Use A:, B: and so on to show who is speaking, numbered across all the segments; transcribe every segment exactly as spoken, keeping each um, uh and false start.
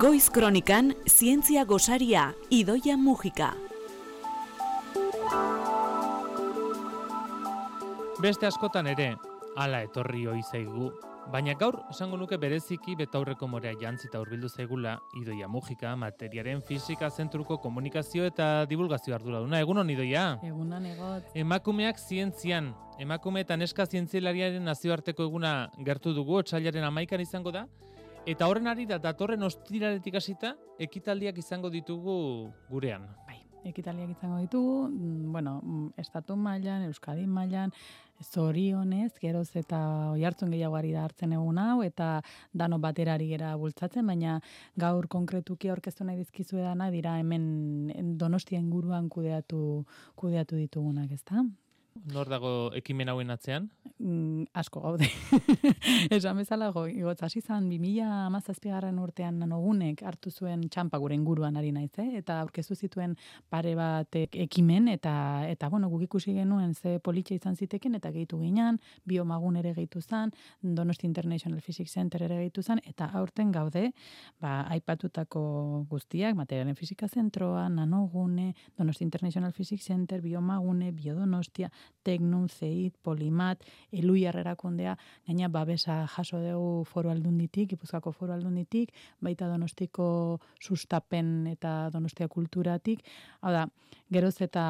A: Goiz Kronikan, zientzia gosaria, Idoia Mujika.
B: Beste askotan ere, hala etorri ohi zaigu. Baina gaur, esango nuke bereziki betaurreko morea jantzita hurbildu zaigula Idoia Mujika, materiaren fisika zentruko komunikazio eta divulgazio arduraduna. Egunon, Idoia?
C: Egunon, egot.
B: Emakumeak zientzian, emakume eta neska zientzialariaren nazioarteko eguna gertu dugu, otsailaren hamaikan izango da, eta horren ari da datorren ostiraletik hasita ekitaldiak izango ditugu gurean.
C: Bai, ekitaldiak izango ditugu, bueno, estatu mailan, Euskadi mailan, zorionez, geroz eta oihartzun gehiago ari da hartzen egun hau, eta dano baterari gera bultzatzen, baina gaur konkretuki aurkeztu nahi dizkizu edana dira hemen Donostia inguruan kudeatu, kudeatu ditugunak, ezta?
B: Nor dago ekimen hauen atzean?
C: Mm, asko gaude. Esan bezala, igotz, hasi zan, bi mila hamazazpigarren urtean nanogunek hartu zuen txanpa gure inguruan ari naiz, eh? Eta aurkeztu zituen pare bat ekimen, eta, eta bueno, guk ikusi genuen ze politxe izan ziteken, eta gehitu ginean, biomagun ere gehitu zan, Donosti International Physics Center ere gehitu zan, eta aurten gaude, ba, aipatutako guztiak, materialen fisika zentroa, nanogune, Donosti International Physics Center, biomagune, biodonostia, Teknun, Zeit, Polimat, Eluiar erakundea, gaina babesa jaso dugu foru aldunditik, Gipuzkoako foru aldunditik, baita Donostiko sustapen eta Donostia kulturatik. Hau da, geroz eta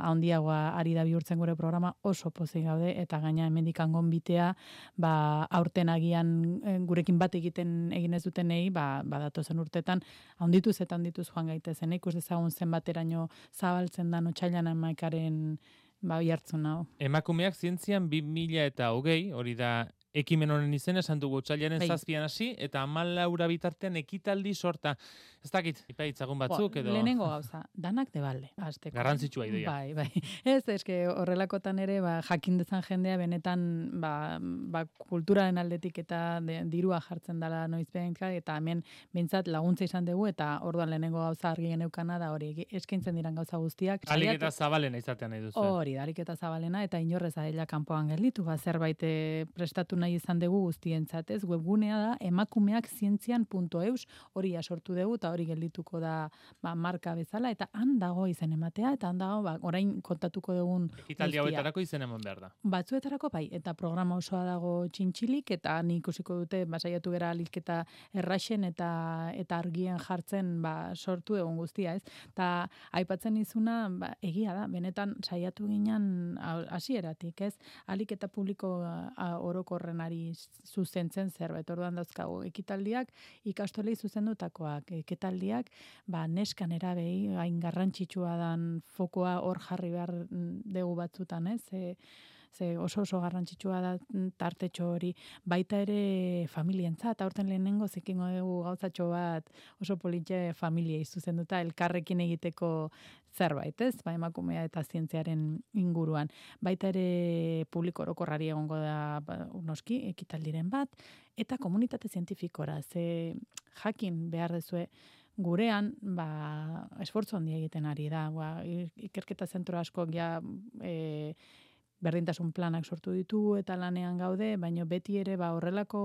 C: handiagoa ari da bihurtzen gure programa, oso pozik gaude, eta gaina hemendik gonbitea, ba, aurten agian gurekin bat egiten egin ez dutenei, ba, badatozen urtetan, handituz eta handituz joan gaitezen, ikus dezagun zenbateraino zabaltzen da otsailean hamaikaren ba, hartzun hau.
B: Emakumeak zientzian bi mila eta hogei, hori da ekimen honen izena, esan dugu otsailaren
C: Bai.
B: zazpian hasi, eta hamalaura bitartean ekitaldi sorta. Ez dakit, ipaitzagun batzuk edo...
C: Lehenengo gauza, danak debalde, hasteko.
B: Garrantzitsua Idoia.
C: Bai, bai. Ez, eske horrelakotan ere, ba, jakin dezan jendea, benetan, ba, ba, kulturaren aldetik eta de, dirua jartzen dela noizbenka, eta hemen bintzat laguntza izan dugu, eta orduan lehenengo gauza argi geneukana da hori, eskaintzen diran gauza guztiak.
B: Alik eta zabalena izatean nahi duzu.
C: Hori, alik eta zabalena, eta inorrez adela kanpoan gelditu, ba, zerbait eh, prestatu nahi izan dugu guztientzat, ez? Webgunea da emakumeak zientzian puntu eus, hori sortu dugu eta hori geldituko da ba, marka bezala, eta han dago izen ematea, eta han dago ba, orain kontatuko dugun
B: ekitaldi hauetarako izen eman behar da.
C: Batzuetarako bai, eta programa osoa dago txintxilik, eta ni ikusiko dute basaiatu gera alik eta erraxen eta eta argien jartzen ba, sortu egun guztia, ez? Eta aipatzen izuna, ba, egia da, benetan saiatu ginen hasieratik, ez? Alik eta publiko a, orokorrenari zuzentzen zerbait. Orduan dauzkagu ekitaldiak, ikastolei zuzendutakoak ekitaldiak, ba neska nerabei hain garrantzitsua dan fokoa hor jarri behar dugu batzutan, ez? Ze, ze oso oso garrantzitsua da tartetxo hori, baita ere familientzat, eta aurten lehenengo zekingo dugu gauzatxo bat oso politxe familiei zuzenduta elkarrekin egiteko zerbait, ez? Ba, emakumea eta zientziaren inguruan. Baita ere publiko orokorrari egongo da ba, noski, ekitaldiren bat, eta komunitate zientifikora, ze jakin behar dezue, gurean, ba, esfortzu handia egiten ari da, ba, ikerketa zentro askok ja, e, berdintasun planak sortu ditu eta lanean gaude, baina beti ere ba horrelako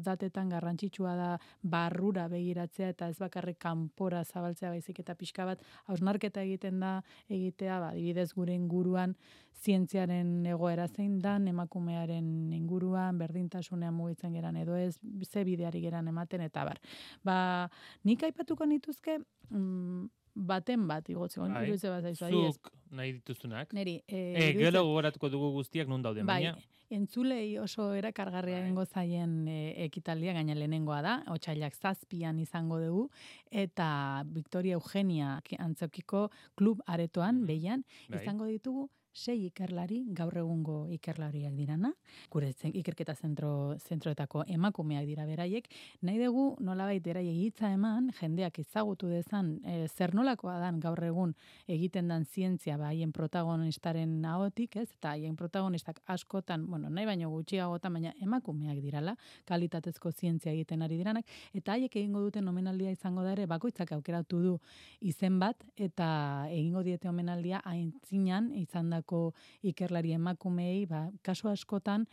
C: datetan garrantzitsua da barrura begiratzea eta ez bakarrik kanpora zabaltzea baizik eta pixka bat hausnarketa egiten da egitea, ba adibidez gure inguruan zientziaren egoera zein dan, emakumearen inguruan berdintasunean mugitzen geran edo ez, ze bideari geran ematen eta bar. Ba, nik aipatuko nituzke mm, baten bat, igotzen,
B: bai,
C: iruditzen bat zaizu.
B: Zuk nahi dituzunak.
C: Neri, e,
B: e, gero gogoratuko dugu guztiak nun dauden,
C: bai,
B: baina.
C: Entzulei oso erakargarria egingo zaien e, ekitaldia, gaina lehenengoa da, otsailak zazpian izango dugu, eta Victoria Eugenia antzokiko klub aretoan, behian,
B: bai.
C: izango ditugu sei ikerlari, gaur egungo ikerlariak dirana, gure zen, ikerketa zentro, zentroetako emakumeak dira beraiek, nahi dugu nolabait beraiek hitza eman, jendeak ezagutu dezan, e, zer nolakoa dan gaur egun egiten dan zientzia, ba, haien protagonistaren ahotik, ez? Eta haien protagonistak askotan, bueno, nahi baino gutxiagotan, baina emakumeak dirala, kalitatezko zientzia egiten ari diranak, eta haiek egingo duten omenaldia izango da ere, bakoitzak aukeratu du izen bat, eta egingo diete omenaldia aintzinan izandako ikerlari emakumeei, ba, kasu askotan,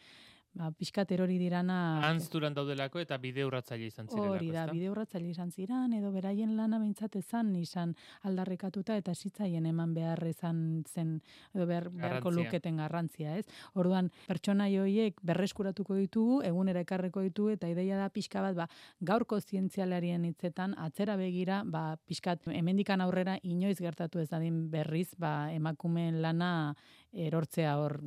C: ba, pixkat erori dirana...
B: Anzturan daudelako eta bide urratzaile izan zirelako,
C: hori da, bide urratzaile izan ziren, edo beraien lana behintzat ezan izan aldarrekatuta eta zitzaien eman behar izan zen, edo behar, beharko luketen garrantzia, ez? Orduan, pertsonai horiek berreskuratuko ditugu, egunera ekarreko ditugu, eta ideia da pixka bat, ba, gaurko zientzialarien hitzetan, atzera begira, ba, pixkat, hemendikan aurrera inoiz gertatu ez dadin berriz, ba, emakumeen lana erortzea hor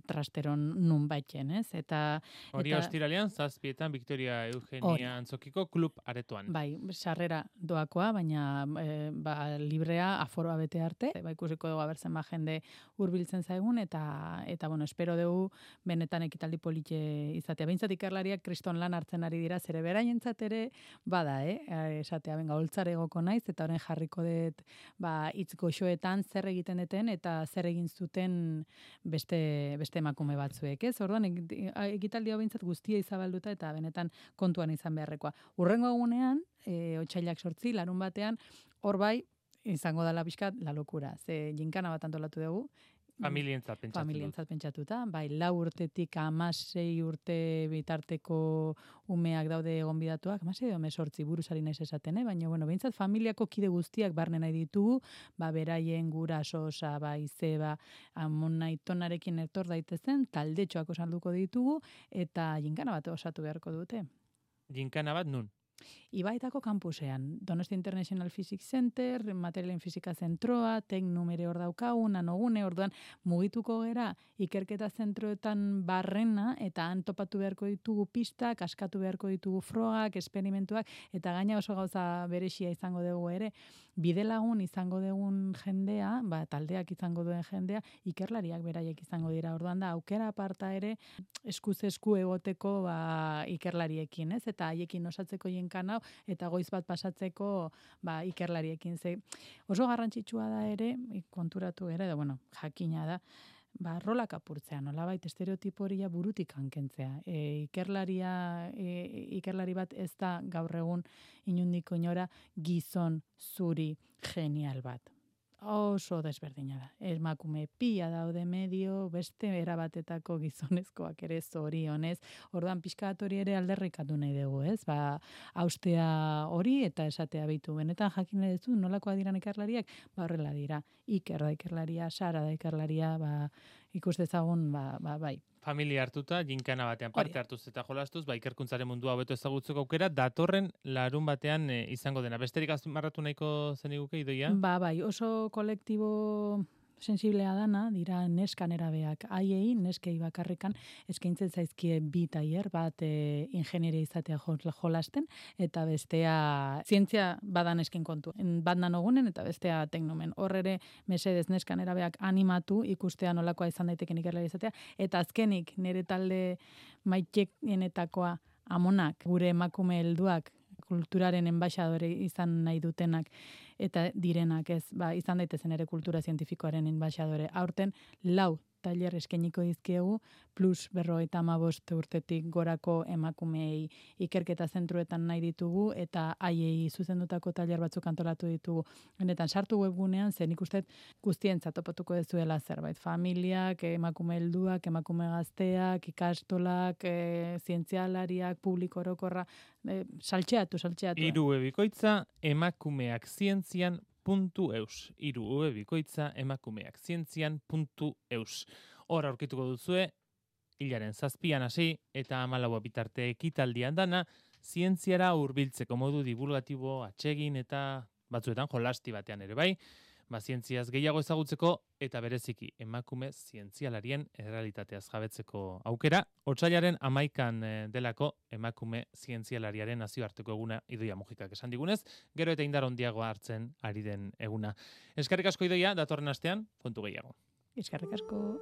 C: trasteron nun baiten, ez? Eta,
B: hori
C: eta,
B: ostiralean, zazpietan, Victoria Eugenia
C: hori.
B: Antzokiko klub aretoan.
C: Bai, sarrera doakoa, baina e, ba, librea aforoa bete arte, ba, ikusiko dugu abertzen ba jende hurbiltzen zaigun, eta, eta bueno, espero dugu benetan ekitaldi politxe izatea. Behintzat ikerlariak kriston lan hartzen ari dira, zere beraientzat ere, bada, eh? Esatea, benga, holtzar egoko naiz, eta horren jarriko dut, ba, hitz goxoetan zer egiten deten, eta zer egin zuten beste beste emakume batzuek, ez? Orduan ekitaldi hau behintzat guztia izabalduta eta benetan kontuan izan beharrekoa. Urrengo egunean, e, otsailak sortzi, larun batean, hor bai izango dela pixkat la lokura. Ze ginkana bat antolatu dugu.
B: Familientzat pentsatu.
C: Familientzat pentsatuta, bai, lau urtetik hamasei urte bitarteko umeak daude gonbidatuak, hamasei edo hemezortzi buruzari naiz esaten, eh? Baina, bueno, behintzat familiako kide guztiak barne nahi ditugu, ba, beraien guraso, osa, ba, izeba, amona itonarekin etor daitezen, taldetxoak osalduko ditugu, eta ginkana bat osatu beharko dute.
B: Ginkana bat nun?
C: Ibaitako kampusean, Donostia International Physics Center, materialen fizika zentroa, teknum ere hor daukagu, nanogune, orduan mugituko gera ikerketa zentroetan barrena, eta han topatu beharko ditugu pistak, askatu beharko ditugu frogak, esperimentuak, eta gaina oso gauza beresia izango dugu ere, bide lagun izango dugun jendea, ba, taldeak izango duen jendea, ikerlariak beraiek izango dira, orduan da, aukera aparta ere, eskuz esku egoteko ba, ikerlariekin, ez? Eta haiekin osatzeko jenkan hau, eta goiz bat pasatzeko ba, ikerlariekin. Ze oso garrantzitsua da ere, konturatu ere, da, bueno, jakina da, ba, rolak apurtzea, nolabait estereotipo horia burutik hankentzea. E, ikerlaria, e, ikerlari bat ez da gaur egun inundiko inora gizon zuri genial bat. Oso desberdina da. Emakume pila daude medio, beste erabatetako gizonezkoak ere zorionez. Orduan pixkat hori ere alderrikatu nahi dugu, ez? Ba, austea hori eta esatea bitu. Benetan jakin nahi duzu, nolakoa diran ikerlariak? Ba, horrela dira. Iker da ikerlaria, Sara da ikerlaria, ba, ikus dezagun, ba, ba, bai.
B: Familia hartuta, ginkana batean parte hartuz eta jolastuz, ba, ikerkuntzaren mundua hobeto ezagutzeko aukera, datorren larun batean e, izango dena. Besterik azpimarratu nahiko zeniguke, Idoia? Ba,
C: bai, oso kolektibo sensiblea dana, dira neskan erabeak. Haiei, neskei bakarrikan, eskaintzen zaizkie bi tailer, bat e, ingenieria izatea jolasten, eta bestea zientzia badan eskin kontu. Bat nanogunen eta bestea teknomen. Hor ere, mesedez neskan erabeak animatu, ikustea nolakoa izan daiteken ikerlari izatea, eta azkenik nire talde maitekenetakoa amonak, gure emakume helduak, kulturaren enbaixadore izan nahi dutenak eta direnak ez, ba, izan daitezen ere kultura zientifikoaren enbaixadore. Aurten lau tailer eskainiko dizkiegu, plus berrogeita hamabost urtetik gorako emakumeei ikerketa zentruetan nahi ditugu, eta haiei zuzendutako tailer batzuk antolatu ditugu. Benetan, sartu webgunean, zen ikustet guztientzat topatuko dezuela zerbait. Familiak, emakume helduak, emakume gazteak, ikastolak, e, zientzialariak, publiko orokorra, e, saltxeatu, saltxeatu.
B: Hiru webikoitza emakumeak zientzian puntu eus. Hiru webikoitza emakumeak zientzian puntu eus. Hor aurkituko duzue, hilaren zazpian hasi eta hamalaua bitarte ekitaldian dana, zientziara hurbiltzeko modu divulgatibo, atsegin eta batzuetan jolasti batean ere bai, ba, zientziaz gehiago ezagutzeko eta bereziki emakume zientzialarien errealitateaz jabetzeko aukera, otsailaren hamaikan delako emakume zientzialariaren nazioarteko eguna Idoia Mujikak esan digunez, gero eta indar handiagoa hartzen ari den eguna. Eskerrik asko Idoia, datorren astean, kontu gehiago.
C: Eskerrik asko.